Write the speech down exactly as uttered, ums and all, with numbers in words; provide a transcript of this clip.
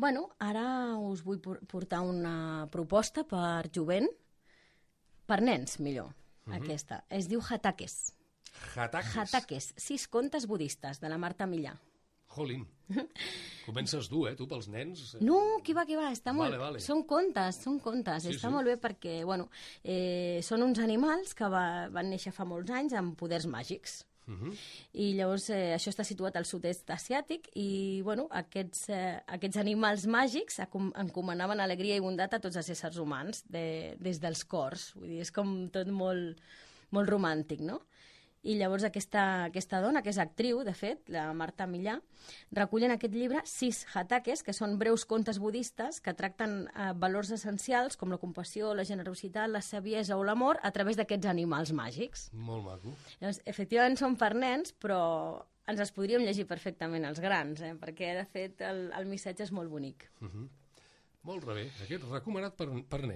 Bueno, ara us vull portar una proposta per jovent, per nens, millor, uh-huh. aquesta. Es diu Hatakes. Hatakes? Hatakes, sis contes budistes, de la Marta Millà. Jolín, comences dur, eh, tu, pels nens? No, qui va, qui va, està molt... Vale, vale. Són contes, són contes, Sí, està sí. molt bé perquè, bueno, eh, són uns animals que va, van néixer fa molts anys amb poders màgics. Uh-huh. I llavors eh, això està situat al sud-est asiàtic i, bueno, aquests, eh, aquests animals màgics acom encomanaven alegria i bondat a tots els éssers humans de, des dels cors. Vull dir, és com tot molt, molt romàntic, no? I llavors aquesta, aquesta dona, que és actriu, de fet, la Marta Millà, recull en aquest llibre sis hatakes, que són breus contes budistes que tracten eh, valors essencials com la compassió, la generositat, la saviesa o l'amor a través d'aquests animals màgics. Molt maco. Llavors, efectivament són per nens, però ens els podríem llegir perfectament els grans, eh? Perquè, de fet, el, el missatge és molt bonic. Uh-huh. Molt bé, aquest recomanat per, per nens.